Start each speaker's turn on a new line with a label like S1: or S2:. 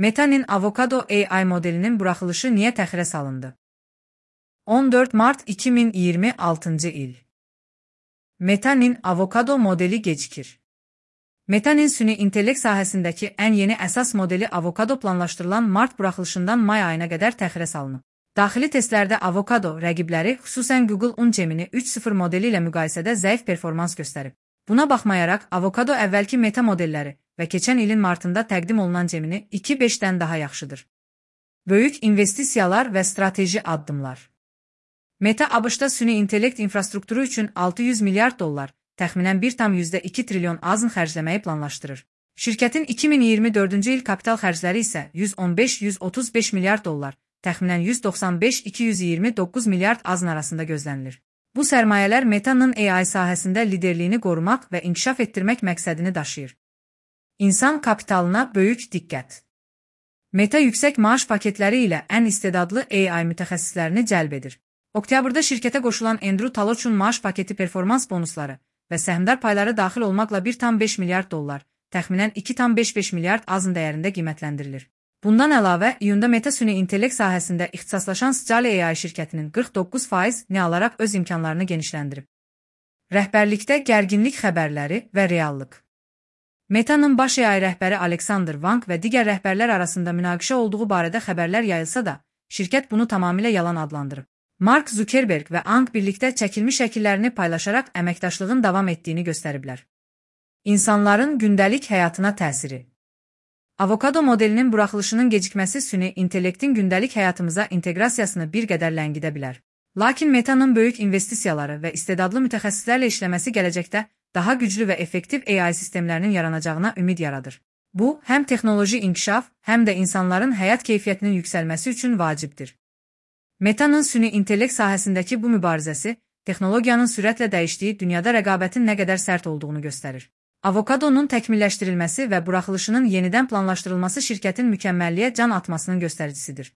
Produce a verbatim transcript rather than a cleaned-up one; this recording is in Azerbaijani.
S1: Meta'nın Avokado A I modelinin buraxılışı niyə təxirə salındı? on dörd mart iki min iyirmi altıncı il. Meta'nın Avokado modeli gecikir. Meta'nın süni intellekt sahəsindəki ən yeni əsas modeli Avokado planlaşdırılan mart buraxılışından may ayına qədər təxirə salınıb. Daxili testlərdə Avokado rəqibləri, xüsusən Google un Gemini üç nöqtə sıfır modeli ilə müqayisədə zəif performans göstərib. Buna baxmayaraq, Avokado əvvəlki Meta modelləri və keçən ilin martında təqdim olunan Gemini iki nöqtə beşdən daha yaxşıdır. Böyük investisiyalar və strateji addımlar. Meta A B Ş-da süni intellekt infrastrukturu üçün altı yüz milyard dollar, təxminən bir nöqtə iki trilyon azın xərcləməyi planlaşdırır. Şirkətin iki min iyirmi dördüncü il kapital xərcləri isə yüz on beş yüz otuz beş milyard dollar, təxminən yüz doxsan beş iki yüz iyirmi doqquz milyard azın arasında gözlənilir. Bu sərmayələr Meta'nın A I sahəsində liderliyini qorumaq və inkişaf etdirmək məqsədini daşıyır. İnsan kapitalına böyük diqqət. Meta yüksək maaş paketləri ilə ən istedadlı A I mütəxəssislərini cəlb edir. Oktyabrda şirkətə qoşulan Andrew Taloch'un maaş paketi performans bonusları və səhmdar payları daxil olmaqla bir nöqtə beş milyard dollar, təxminən iki nöqtə beş beş milyard azın dəyərində qiymətləndirilir. Bundan əlavə, iyunda Meta süni intellekt sahəsində ixtisaslaşan Scale A I şirkətinin qırx doqquz faiz nə alaraq öz imkanlarını genişləndirib. Rəhbərlikdə gərginlik xəbərləri və reallıq. Meta'nın baş A I rəhbəri Alexander Wang və digər rəhbərlər arasında münaqişə olduğu barədə xəbərlər yayılsa da, şirkət bunu tamamilə yalan adlandırıb. Mark Zuckerberg və Ang birlikdə çəkilmiş şəkillərini paylaşaraq əməkdaşlığın davam etdiyini göstəriblər. İnsanların gündəlik həyatına təsiri. Avokado modelinin buraxılışının gecikməsi süni intellektin gündəlik həyatımıza inteqrasiyasını bir qədər ləngidə bilər. Lakin Meta'nın böyük investisiyaları və istedadlı mütəxəssislərlə işləməsi gələcəkdə daha güclü və effektiv A I sistemlərinin yaranacağına ümid yaradır. Bu, həm texnoloji inkişaf, həm də insanların həyat keyfiyyətinin yüksəlməsi üçün vacibdir. Meta'nın süni intellekt sahəsindəki bu mübarizəsi, texnologiyanın sürətlə dəyişdiyi dünyada rəqabətin nə qədər sərt olduğunu göstərir. Avokadonun təkmilləşdirilməsi və buraxılışının yenidən planlaşdırılması şirkətin mükəmməlliyə can atmasının göstəricisidir.